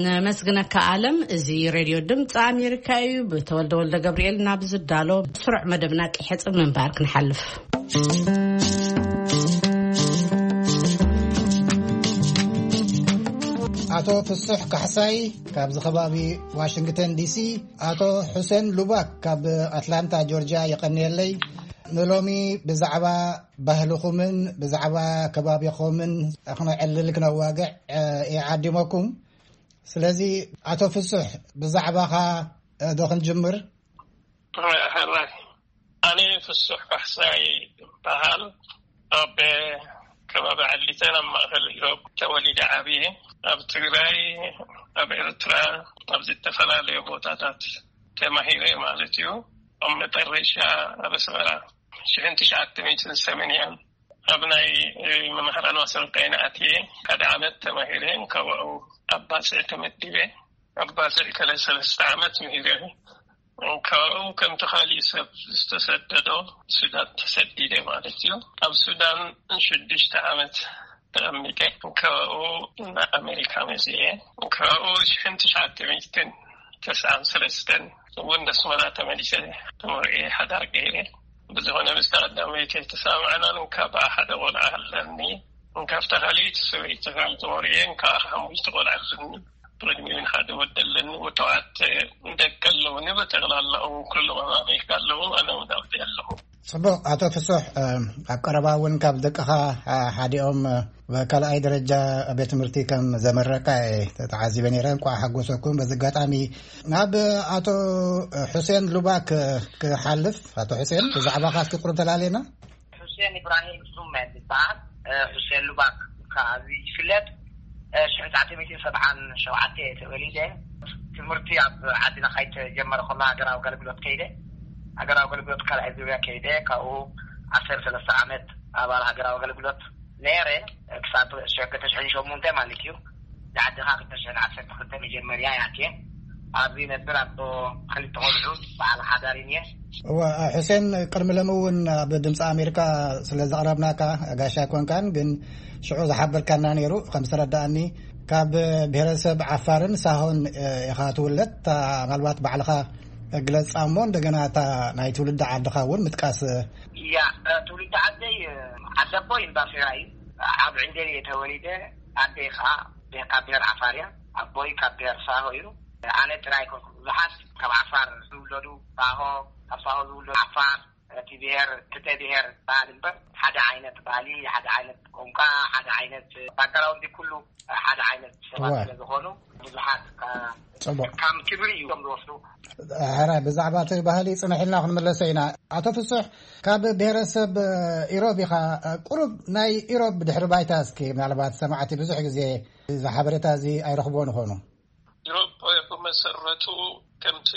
ነመስግነካ ኣለም። እዚ ሬድዮ ድምፂ ኣሜሪካ እዩ። ብተወልደ ወልደ ገብርኤል ናብ ዝዳሎ ስሩዕ መደብና ቅሕጽ ምንባር ክንሓልፍ። ኣቶ ፍሱሕ ካሕሳይ ካብዚ ከባቢ ዋሽንግተን ዲሲ፣ ኣቶ ሑሴን ሉባክ ካብ ኣትላንታ ጆርጅያ፣ የቐንየለይ። ንሎሚ ብዛዕባ ባህልኹምን ብዛዕባ ከባቢኹምን ክነዕልል ክነዋግዕ፣ እ፣ እየ ዓዲመኩም። ስለዚ ኣቶ ፍሱሕ ብዛዕባኻ፣ እ፣ ዶ ክንጅምር? ሕራይ፣ ኣነ ፍሱሕ ካሕሳይ ይበሃል። ኣብ ከባቢ ዓሊተን ኣብ ማእከል ኢሮብ ተወሊደ ዓብየ። ኣብ ትግራይ፣ ኣብ ኤርትራ፣ ኣብ ዝተፈላለዩ ቦታታት ተማሂረ ማለት እዩ። ኣብ መጠረሻ ኣብ ኣስመራ ሽሕን ትሽዓተ ሚእትን ሰማንያን ኣብ ናይ መምህራን ማሰልጠኒ ኣትየ ሓደ ዓመት ተማሂረ። ካብኡ ኣብ ባጽዕ ተመዲበ። ኣብ ባጽዕ ከለ ሰለስተ ዓመት ምሂረ። ካብኡ ከምቲ ካሊእ ሰብ ዝተሰደዶ ሱዳን ተሰዲደ ማለት እዩ። ኣብ ሱዳን ሽዱሽተ ዓመት ተቐሚጠ። ካብኡ ንኣሜሪካ መፅየ። ካብኡ ሽሕን ትሽዓተ ሚእትን ተስዓን ሰለስተን እውን ኣስመራ ተመሊሰ ተመርዕየ ሓዳር ገይረ። ብዝኾነ ምስ ቀዳመይቲ ተሰማማዕናን ካብኣ ሓደ ቆልዓ ኣለኒ። ካብታ ካልኣይቲ ሰበይቲ ካብ ተወርየን ከዓ ሓሙሽተ ቆልዓ ኣለኒ። ብቕድሚኡ ሓደ ወዲ ኣለኒ። ወተዋት ደቂ ኣለውኒ። ብጠቕላላ እውን ኩሎም ኣብ ኣሜሪካ ኣለዉ። ኣነ እውን ኣብዚ ኣለኹ። ጽቡቕ። ኣቶ ፍሱሕ፣ እ፣ ኣብ ቀረባ እውን ካብ ደቅኻ፣ እ፣ ሓዲኦም፣ እ፣ ካልኣይ ደረጃ ቤት ትምህርቲ ከም ዘመረቃ እየ ተዓዚበ ነይረ። እንቋዕ ሓጎሰኩም። በዚ ኣጋጣሚ ናብ ኣቶ ሑሴን ሉባክ ክሓልፍ። ኣቶ ሑሴን፣ ብዛዕባኻ እስኪ ቁሩብ ተላልየና። ሑሴን ኢብራሂም ሱመ ዝበሃል፣ እ፣ ሑሴን ሉባክ ካብ ይፍለጥ። እ፣ ሽሕን ትሽዓተ ሚእትን ሰብዓን ሸውዓተ እየ ተወሊደ። ትምህርቲ ኣብ ዓድና ከይተጀመረ ከሎ ሃገራዊ ኣገልግሎት ከይደ። ሃገራዊ ኣገልግሎት ካልኣይ ዙርያ ከይደ። ካብኡ ዓሰርተ ሰለስተ ዓመት ኣባል ሃገራዊ ኣገልግሎት ነይረ። ክሳብ ሸ-፣ ክልተ ሽሕን ሸሞንተ ማለት እዩ። ንዓድኻ ክልተ ሽሕን ዓሰርተ ክልተ መጀመርያ እየ ኣትየ። ኣብዚ ነብር ኣቦ ክልተ ቆልዑ በዓል ሓዳር እየ። እወ፣ ሕሴን፣ ቅድሚ ሎሚ እውን ኣብ ድምፂ ኣሜሪካ ስለ ዘቕረብናካ ጋሻ ኣይኮንካን፣ ግን ሽዑ ዝሓበርካና ነይሩ። ከም ዝተረዳእኒ ካብ ብሄረሰብ ዓፋርን ሳሆን ኢኻ ትውለድ። እታ ምናልባት ባዕልኻ ግለፃ እሞ እንደገና እታ ናይ ትውልዲ ዓድኻ እውን ምጥቃስ። እያ፣ ትውልዲ ዓደይ ዓደቦይ እምባፌራ እዩ። ኣብ ዕንደል እየ ተወሊደ። ኣደይ ከዓ ካብ ብሄር ዓፋር እያ። ኣቦይ ካብ ብሄር ሳሆ እዩ። ኣነ ጥራይ ኣይኮንኩ፣ ብዙሓት ካብ ዓፋር ዝውለዱ ሳሆ፣ ካብ ሳሆ ዝውለዱ ዓፋር፣ እቲ ብሄር ክልተ ብሄር በዓል እምበር ሓደ ዓይነት ባህሊ፣ ሓደ ዓይነት ቋንቋ፣ ሓደ ዓይነት ባክግራውንድ ኩሉ ሓደ ዓይነት ሰባት እወ። ስለ ዝኾኑ ብዙሓት ጽቡቅ። ከም ክብሪ እዮም ዝወስዱ። ሕራይ ብዛዕባ እቲ ባህሊ ጽንሕ ኢልና ክንምለሶ ኢና። ኣቶ ፍሱሕ፣ ካብ ብሔረሰብ ኢሮብ ኢኻ። ቁሩብ ናይ ኢሮብ ድሕሪ ባይታ እስኪ፣ ምናልባት ሰማዕቲ ብዙሕ ግዜ እዚ ሓበሬታ እዚ ኣይረኽብዎን ይኾኑ። ኢሮብ ብመሰረቱ ከምቲ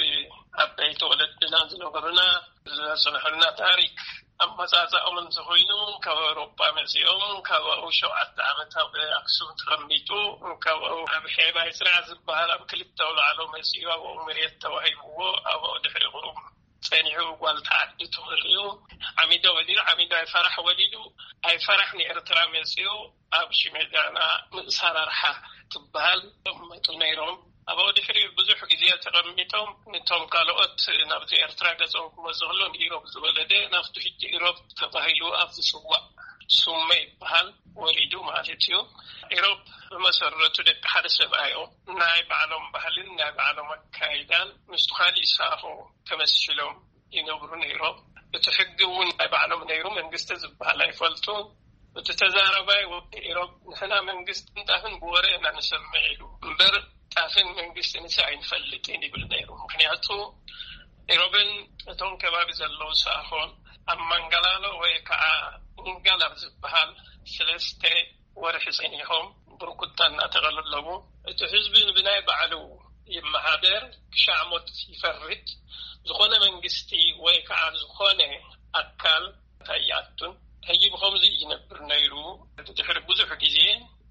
ዓበይቲ ወለድና ዝነገሩና ዘጽንሑልና ታሪክ ኣመጻጽኣኦም እንተኾይኑ፣ ካብ ኣውሮጳ መጺኦም፣ ካብኡ ሸውዓተ ዓመት ኣብ ኣክሱም ተቐሚጡ፣ ካብኡ ኣብ ሄባይ ጽንዓ ዝበሃል ኣብ ክልተ ኣውላዕሎ መጺኡ፣ ኣብኡ መሬት ተዋሂብዎ፣ ኣብኡ ድሕሪኡ ጸኒሑ ጓል ተዓዲ ተወልዩ፣ ዓሚዶ ወሊዱ፣ ዓሚዶ ኣይፈራሕ ወሊዱ፣ ኣይፈራሕ ንኤርትራ መጺኡ፣ ኣብ ሽሜዳና ንእሳራርሓ ትበሃል ተቐመጡ ነይሮም። ኣብኡ ድሕሪ ብዙሕ ግዜ ተቐሚጦም፣ ነቶም ካልኦት ናብቲ ኤርትራ ገጾም ክመጹ ከሎ፣ ንኢሮብ ዝወለደ ናብቲ ሕጂ ኢሮብ ተባሂሉ ኣብ ዝጽዋዕ ሱመ ይበሃል ወሪዱ ማለት እዩ። ኢሮብ ብመሰረቱ ደቂ ሓደ ሰብኣዮ ናይ ባዕሎም ባህልን ናይ ባዕሎም ኣካይዳን ምስቲ ካሊእ ሳሆ ተመሲሎም ይነብሩ ነይሮም። እቲ ሕጊ እውን ናይ ባዕሎም ነይሩ፣ መንግስቲ ዝበሃል ኣይፈልጡ። እቲ ተዛረባይ ወዲ ኢሮብ፣ "ንሕና መንግስትን ጣፍን ብወረ ኢና ንሰምዕ" ኢሉ እምበር፣ ጣፍን መንግስትን ንሳ ኣይንፈልጥን ይብል ነይሩ። ምክንያቱ ኢሮብን እቶም ከባቢ ዘለዉ ሳሆን ኣብ ማንጋላሎ ወይ ከዓ ኡንጋላ ኣብ ዝበሃል ሰለስተ ወርሒ ጸኒሖም ብርኩታ እናተቐለለቡ፣ እቲ ህዝቢ ብናይ ባዕሉ ይመሓደር፣ ክሻዕ ሞት ይፈርድ፣ ዝኾነ መንግስቲ ወይ ከዓ ዝኾነ ኣካል ኣይኣቱን። ሕጂ ብኸምዚ እዩ ዝነብር ነይሩ። ድሕሪ ብዙሕ ግዜ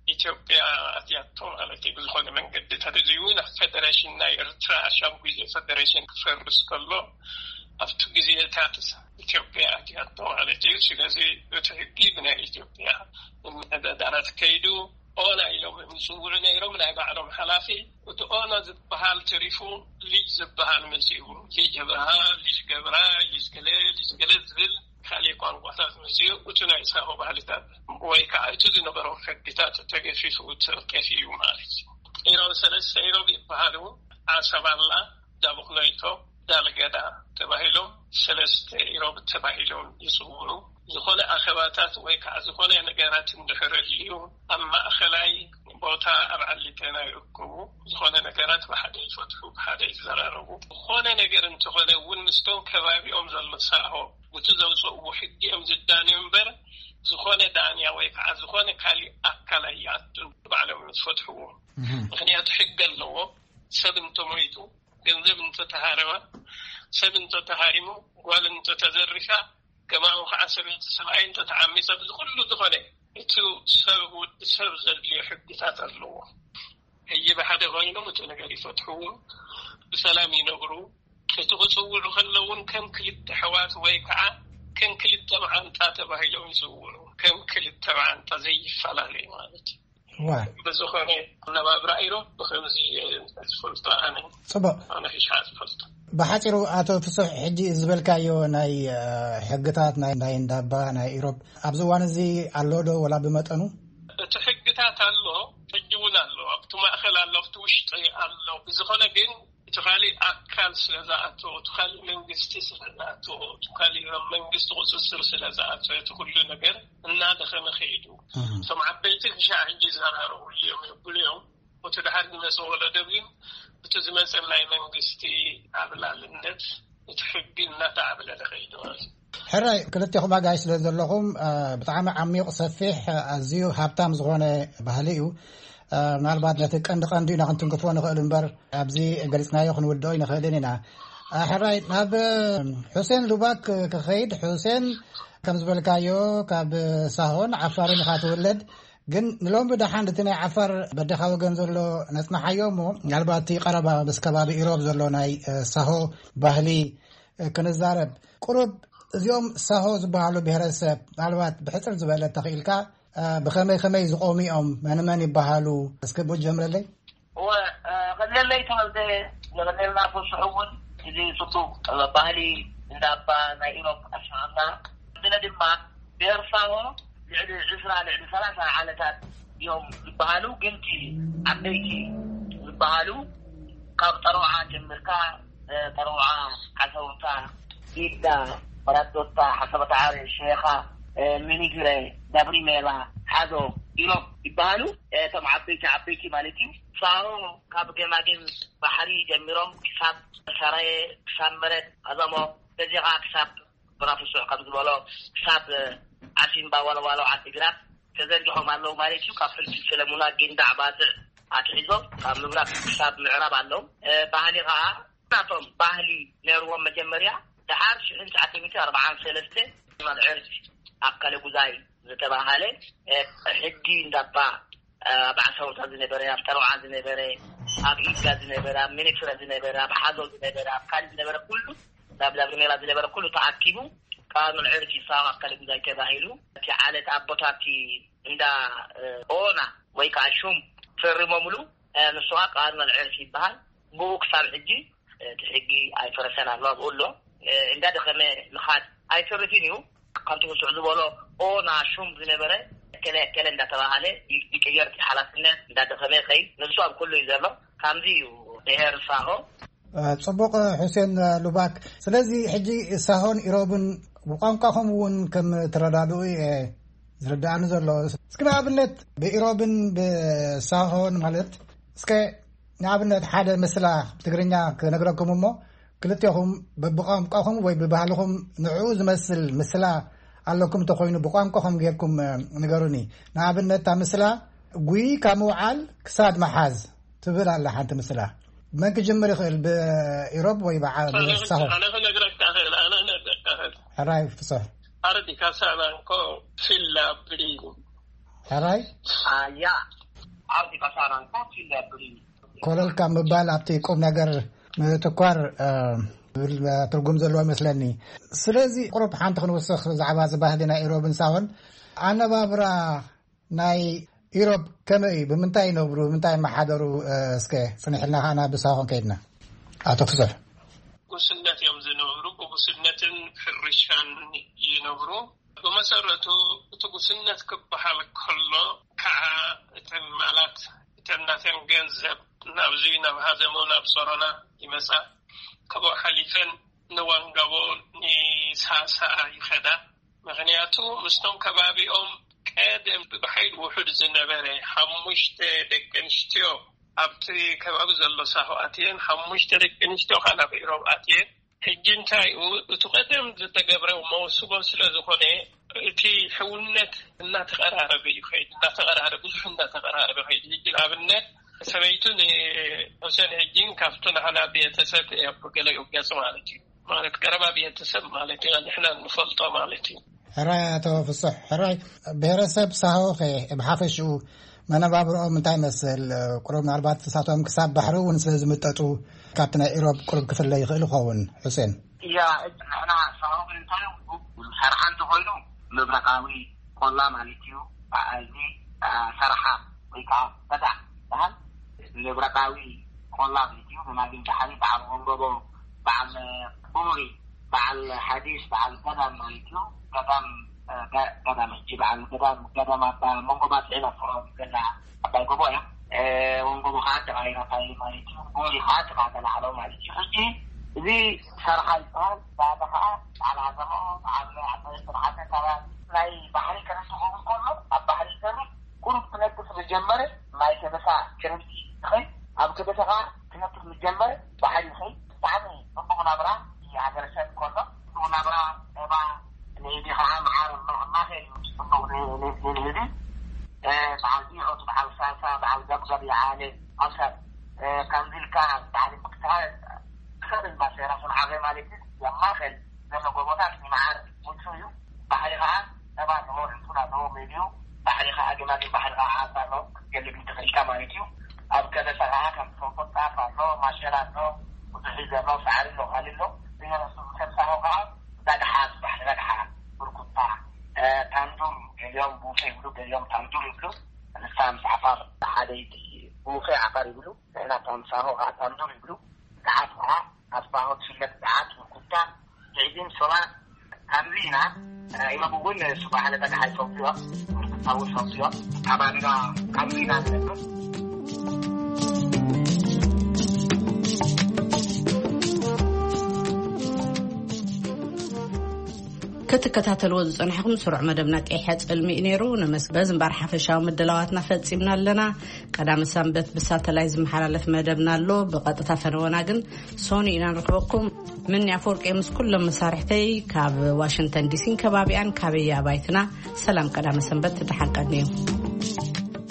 ኢትዮጵያ ኣትያቶ ማለት እዩ። ብዝኾነ መንገዲ ተደልዩ ናብ ፌደሬሽን ናይ ኤርትራ፣ ሻም ግዜ ፌደሬሽን ክፈርስ ከሎ፣ ኣብቲ ግዜታት ኢትዮጵያ ኣትያቶ ማለት እዩ። ስለዚ እቲ ሕጊ ብናይ ኢትዮጵያ ምምሕዳራት ከይዱ፣ ኦና ኢሎም ዝጽውዑ ነይሮም፣ ናይ ባዕሎም ሓላፊ። እቲ ኦና ዝበሃል ተሪፉ፣ ልጅ ዝበሃል መጺኡ። ልጅ ገብርሃ፣ ልጅ ገብራ፣ ልጅ ገለ፣ ልጅ ገለ ዝብል ካልእ ቋንቋታት መጺኡ፣ እቲ ናይ ሳሆ ባህልታት ወይ ከዓ እቲ ዝነበሮም ሕግታት ተገፊፉ፣ ተጠፊኡ ማለት እዩ። ኢሮብ ሰለስተ ኢሮብ ይበሃሉ። ዓሰብ ኣላ፣ ዳቡክኖይቶ፣ ዳልገዳ ተባሂሎም ሰለስተ ኢሮብ ተባሂሎም ይጽውዑ። ዝኾነ ኣኼባታት ወይ ከዓ ዝኾነ ነገራት እንድሕር ኣልዩ፣ ኣብ ማእኸላይ ቦታ ኣብ ዓሊቴና ይእክቡ። ዝኾነ ነገራት ብሓደ ይፈትሑ፣ ብሓደ ይዘራረቡ። ዝኾነ ነገር እንተኾነ እውን ምስቶም ከባቢኦም ዘሎ ሳሆ፣ እቲ ዘውፅእዎ ሕጊ እዮም ዝዳንዩ እምበር፣ ዝኾነ ዳንያ ወይ ከዓ ዝኾነ ካሊእ ኣካል ኣይኣቱን፣ ባዕሎም እዮም ዝፈትሕዎ። እህ። ምክንያቱ ሕጊ ኣለዎ። ሰብ እንተሞይቱ፣ ገንዘብ እንተተሃረመ፣ ሰብ እንተተሃሪሙ፣ ጓል እንተተዘሪፋ፣ ከማኡ ከዓ ሰበይቲ ሰብኣይ እንተተዓሚፀ፣ እዚ ኩሉ ዝኾነ እቲ ሰብ፣ ወዲ ሰብ ዘድልዮ ሕግታት ኣለዎ። ሕጂ ብሓደ ኮይኖም እቲ ነገር ይፈትሕዎ፣ ብሰላም ይነብሩ። እቲ ክፅውዑ ከለውን ከም ክልተ ኣሕዋት ወይ ከዓ ከም ክልተ መዓንጣ ተባሂሎም ይፅውዑ። ከም ክልተ መዓንጣ ዘይፈላለዩ ማለት እዩ። ዋ። ብዝኾነ፣ ኣነባብራ ኢሮብ ብኸምዚ እየ ዝፈልጦ ኣነ። ጽቡቕ። ኣነ ሒሻ ዝፈልጦ። ብሓጺሩ ኣቶ ፍሱሕ፣ ሕጂ ዝበልካዮ ናይ፣ እ፣ ሕግታት ናይ፣ ናይ እንዳባ፣ ናይ ኢሮብ ኣብዚ እዋን እዚ ኣሎ ዶ ወላ ብመጠኑ? እቲ ሕግታት ኣሎ፣ ሕጂ እውን ኣሎ። ኣብቲ ማእከል ኣሎ፣ ኣብቲ ውሽጢ ኣሎ። ብዝኾነ ግን እቲ ካሊእ ኣካል ስለ ዝኣተወ፣ እቲ ካሊእ መንግስቲ ስለ ዝኣተወ፣ እቲ ካሊእ መንግስቲ ቁጽጽር ስለ ዝኣተወ፣ እቲ ኩሉ ነገር እናደኸመ ከይዱ። እህ። እቶም ዓበይቲ ክሻዕ ሕጂ ይዘራረብሉ እዮም፣ የብሉ እዮም። እቲ ድሓር ዝመጸ ወለዶ ግን፣ እቲ ዝመጸ ናይ መንግስቲ ዓብላልነት፣ እቲ ሕጊ እናተዓብለለ ከይዱ ማለት እዩ። ሕራይ፣ ክልቴኹም ኣጋይሽ ስለ ዘለኹም፣ እ፣ ብጣዕሚ ዓሚቕ፣ ሰፊሕ፣ ኣዝዩ ሃብታም ዝኾነ ባህሊ እዩ። እ፣ ምናልባት ነቲ ቀንዲ ቀንዲ ኢና ክንትንክፎ ንኽእል እምበር፣ ኣብዚ ገሊጽናዮ ክንውድኦ ኣይንኽእልን ኢና። እ፣ ሕራይ፣ ናብ፣ እ፣ ሑሴን ሉባክ ክኸይድ። ሑሴን፣ ከም ዝበልካዮ፣ ካብ ሳሆን ዓፋርን ኢኻ ትውለድ። ግን ንሎሚ ደሓን እቲ ናይ ዓፋር በደኻ ወገን ዘሎ ነጽንሓዮ እሞ፣ ምናልባት እቲ ቀረባ ምስ ከባቢ ኢሮብ ዘሎ ናይ፣ እ፣ ሳሆ ባህሊ፣ እ፣ ክንዛረብ። ቁሩብ እዚኦም ሳሆ ዝበሃሉ ብሄረሰብ፣ ምናልባት ብሕጽር ዝበለ ተኽኢልካ፣ እ፣ ብኸመይ ከመይ ዝቖሙ እዮም? መን መን ይበሃሉ? እስኪ ብኡ ጀምረለይ። እወ፣ እ፣ ቀለለይ ተወልደ፣ ንቐለልና ፍሱሕ እውን እዚ ጽቡቕ ባህሊ እንዳባ ናይ ኢሮብ ኣስማዕና። ብለ ድማ ብሄር ሳሆ ልዕሊ ዕስራ፣ ልዕሊ ሰላሳ ዓለታት እዮም ዝበሃሉ፣ ግን እቲ ዓበይቲ ዝበሃሉ ካብ ጠረውዓ ጀምርካ፣ እ፣ ጠረውዓ፣ ዓሰውታ፣ ጊዳ፣ መራዶታ፣ ሓሰበ ዳዕሮ፣ ሸኻ፣ እ፣ ሚኒግረ፣ ዳብሪሜላ፣ ሓዶ፣ ኢሎም ይበሃሉ። እቶም ዓበይቲ ዓበይቲ ማለት እዩ። ሳሆ ካብ ገማግም ባሕሪ ጀሚሮም ክሳብ ሰራየ፣ ክሳብ መረት ኣዘሞ፣ በዚ ከዓ ክሳብ ብራፍሱዕ ከም ዝበሎ ክሳብ ዓሲምባ፣ ዋለዋሎ፣ ዓዲግራት ተዘርጊሖም ኣለዉ ማለት እዩ። ካብ ፍልፍል ሰለሙና፣ ጊንዳዕ፣ ባጽዕ ኣትሒዞም ካብ ምብራቅ ክሳብ ምዕራብ ኣለዉ። እ፣ ባህሊ ከዓ ናቶም ባህሊ ነይርዎም መጀመርያ። ደሓር ሽሕን ትሽዓተ ሚእቲ ኣርባዓን ሰለስተ መልዕርት ኣከለ ጉዛይ ዝተባሃለ፣ እ፣ ሕጊ እንዳባ፣ እ፣ ኣብ ዓሳውታ ዝነበረ፣ ኣብ ጠለውዓ ዝነበረ፣ ኣብ ኢድጋ ዝነበረ፣ ኣብ ሚኒክስረ ዝነበረ፣ ኣብ ሓዞ ዝነበረ፣ ኣብ ካልእ ዝነበረ ኩሉ፣ ኣብ ላብሪሜራ ዝነበረ ኩሉ ተኣኪቡ፣ ካብ መልዕርት ይሳብ ኣከለ ጉዛይ ተባሂሉ። እቲ ዓለት ኣቦታቲ እንዳ፣ እ፣ ኦና ወይ ከዓ ሹም ፈሪሞምሉ። እ፣ ንሱ ከዓ ቃል መልዕርት ይበሃል። ብኡ ክሳብ ሕጂ እቲ ሕጊ ኣይፈረሰን ኣሎ፣ ኣብኡ ኣሎ። እ፣ እንዳደኸመ ምኻድ ኣይተርፍን እዩ። ከምቲ ብሱዕ ዝበሎ ኦና ሹም ዝነበረ እከለ እከለ እንዳተባሃለ ይ-፣ ይቅየር፣ እቲ ሓላፍነት እንዳደኸመ ይኸይድ። ንሱ ኣብ ኩሉ እዩ ዘሎ። ከምዚ እዩ ብሄር ሳሆ። እ፣ ጽቡቕ፣ እ፣ ሑሴን፣ እ፣ ሉባክ። ስለዚ ሕጂ ሳሆን ኢሮብን ብቋንቋኹም እውን ከም ትረዳድኡ እየ ዝርድኣኒ ዘሎ። እስኪ ንኣብነት ብኢሮብን ብሳሆን ማለት፣ እስከ ንኣብነት ሓደ ምስላ ብትግርኛ ክነግረኩም እሞ፣ ክልቴኹም ብቋንቋኹም ወይ ብባህልኹም ንዕኡ ዝመስል ምስላ ኣለኩም እንተኾይኑ ብቋንቋኹም ጌርኩም፣ እ፣ ንገሩኒ። ንኣብነት እታ ምስላ፣ "ጉይ ካብ ምውዓል ክሳድ ምሓዝ" ትብል ኣላ ሓንቲ ምስላ። መን ክጅምር ይኽእል? ብኢሮብ ወይ ብዓ-፣ ኣነ ብሳሆ? ኣነ ክነግረካ እኽእል፣ ኣነ ክነግረካ እኽእል። ሕራይ ፍስሕ። ኣረዲ ካሳናንኮ ፊላ ብሪኒ። ሕራይ? ኣያ። ኣረዲ ካሳናንኮ ፊላ ብሪኒ። ኮለል ካብ ምባል ኣብቲ ቁም ነገር ምትኳር፣ እ፣ ዝብል ትርጉም ዘለዎ ይመስለኒ። ስለዚ ቁሩብ ሓንቲ ክንውስኽ ብዛዕባ እዚ ባህሊ ናይ ኢሮብን ሳሆን። ኣነባብራ ናይ ኢሮብ ከመይ እዩ? ብምንታይ ይነብሩ? ብምንታይ ይመሓደሩ? እ፣ እስከ ጽኒሕልና ከኣ ናብ ሳሆን ከይድና። ኣቶ ፍስሕ። ጉስነት እዮም ዝነብሩ። ብጉስነትን ሕርሻን ይነብሩ። ብመሰረቱ እቲ ጉስነት ክበሃል ከሎ ከዓ እተን ማላት እተን ናተን ገንዘብ ናብዚ ናብ ሃዘሞ ናብ ሶሮና ይመጻ። ካብኡ ሓሊፈን ንወንገቦ ንሳሳ ይኸዳ። ምኽንያቱ ምስቶም ከባቢኦም ቀደም ብሓይሊ ውሑድ ዝነበረ ሓሙሽተ ደቂ ኣንስትዮ ኣብቲ ከባቢ ዘሎ ሳሆ ኣትየን፣ ሓሙሽተ ደቂ ኣንስትዮ ከዓ ናብ ኢሮብ ኣትየን። ሕጂ እንታይ እዩ እቲ ቀደም ዝተገብረ መውስቦ ስለ ዝኾነ፣ እቲ ሕውነት እናተቐራረበ እዩ ኸይድ፣ እናተቐራረበ፣ ብዙሕ እናተቐራረበ ኸይድ። ሕጂ ንኣብነት ሰበይቱ ንሑሴን ሕጂ ካብቱ ንሕና ቤተሰብ እያ ብገለኡ ገጽ ማለት እዩ። ማለት ቀረባ ቤተሰብ ማለት እዩ፣ ንሕና ንፈልጦ ማለት እዩ። ሕራይ ኣቶ ፍስሕ፣ ሕራይ። ብሄረሰብ ሳሆ ኸ ብሓፈሽኡ መነባብርኦም እንታይ ይመስል? ቁሩብ ምናልባት እሳቶም ክሳብ ባሕሪ እውን ስለ ዝምጠጡ ካብቲ ናይ ኢሮብ ቁሩብ ክፍለ ይኽእል ይኸውን። ሑሴን። እያ፣ ንሕና ሳሆ እንታይ እዩ? ሰርሓ እንተኾይኑ ምብራቓዊ ቆላ ማለት እዩ። እዚ፣ አ፣ ሰርሓ ወይ ከዓ በዳ በሃል ምብራቓዊ ቆላ ማለት እዩ። ብማግን ባሕሪ በዓል መንጎቦ፣ በዓል ቡሪ፣ በዓል ሓዲስ፣ በዓል ገዳም ማለት እዩ። ገዳም፣ እ፣ ገ-፣ ገዳም ሕጂ በዓል ገዳም፣ ገዳም ኣባ መንጎ ባጽዕ ነፍሮ ገና ኣባይ ጎቦ እያ። እ፣ ወንጎቦ ከዓ ተቃይራ ፋይል ማለት እዩ። ቡሪ ከዓ ተቃተላ ዓለው ማለት እዩ። ሕጂ እዚ ሰርሓ ይበሃል። ባዕሉ ከዓ በዓል ዓዘሞ፣ በዓል ዓባይ ዝተባሓተ ካብ ናይ ባሕሪ ከነሱ ክኸውን ከሎ ኣብ ባሕሪ ይሰርሕ። ቁሩብ ክነጥፍ ዝጀመረ ማይ ከበሳ ክረምቲ ይኸይድ። ኣብ ከበሳ ከዓ ክነጥፍ ዝጀመረ ባሕሪ ይኸይድ። ብጣዕሚ ጽቡቕ ናብራ እዩ ሃገረሰብ ከሎ። ጽቡቕ ናብራ፣ ጸባ፣ ንህቢ ከዓ መዓር ኣሎ። ማኸል እዩ ጽቡቕ ን-፣ ን-፣ ንህቢ። እ፣ በዓል ዲዖት፣ በዓል ሳሳ፣ በዓል ገብገብ ይዓለ። ኣብ ሰብ፣ እ፣ ከምዚ ኢልካ በዓል ምክትሃል ክሰብ ማሴራ ስንዓገ ማለት እዩ። ኣብ ማኸል ዘሎ ጎቦታት ንመዓር ምቹ እዩ። ባሕሪ ከዓ ጸባ ኣለዎ፣ ዕንጹን ኣለዎ፣ ሜድዩ። ባሕሪ ከዓ ገማግም ባሕሪ ከዓ ዓሳ ኣለዎ፣ ክትገልብ ይትኽእልካ ማለት እዩ። ኣብ ከበሳ ከዓ ከም ትፈልጦ ጣፍ ኣሎ፣ ማሸላ ኣሎ፣ ብዙሕ እዩ ዘሎ፣ ሳዕሪ ኣሎ፣ ካልእ ኣሎ። ብሄረሰብ ሰብ ሳሆ ከዓ ዳግሓ ዝበሃል፣ ዳግሓ፣ ብርኩታ፣ እ፣ ታንዱር፣ ገሊኦም ቡፌ ይብሉ፣ ገሊኦም ታንዱር ይብሉ። ንሳ ምስ ዓፋር ሓደይቲ ቡፌ ዓፋር ይብሉ፣ ንሕና ታምሳሆ ከዓ ታንዱር ይብሉ። ገዓት ከዓ ኣብ ሳሆ ትፍለጥ ገዓት፣ ብርኩታ፣ ትዕዚም፣ ሶባ፣ ከምዚ ኢና። እ፣ ኢሎም እውን ሱባሕ ለበዳ ሓይፈውዮ፣ ብርኩታ እውን ፈውዮ። ኣብ ኣንጋ ከምዚ ኢና ንነብር። ክትከታተልዎ ዝጸናሕኩም ስሩዕ መደብና ቀይሐ ጽልሚ እዩ ነይሩ። ነመስግን። በዚ እምበር ሓፈሻዊ ምድላዋትና ፈጺምና ኣለና። ቀዳመ ሰንበት ብሳተላይት ዝመሓላለፍ መደብና ኣሎ። ብቐጥታ ፈነወና ግን ሶኒ ኢና ንረኽበኩም። ምኒ ኣፈወርቂ ምስ ኩሎም መሳርሕተይ ካብ ዋሽንግተን ዲሲን ከባቢኣን ካበይ ኣባይትና ሰላም ቀዳመ ሰንበት ደሓን ቀንዩ።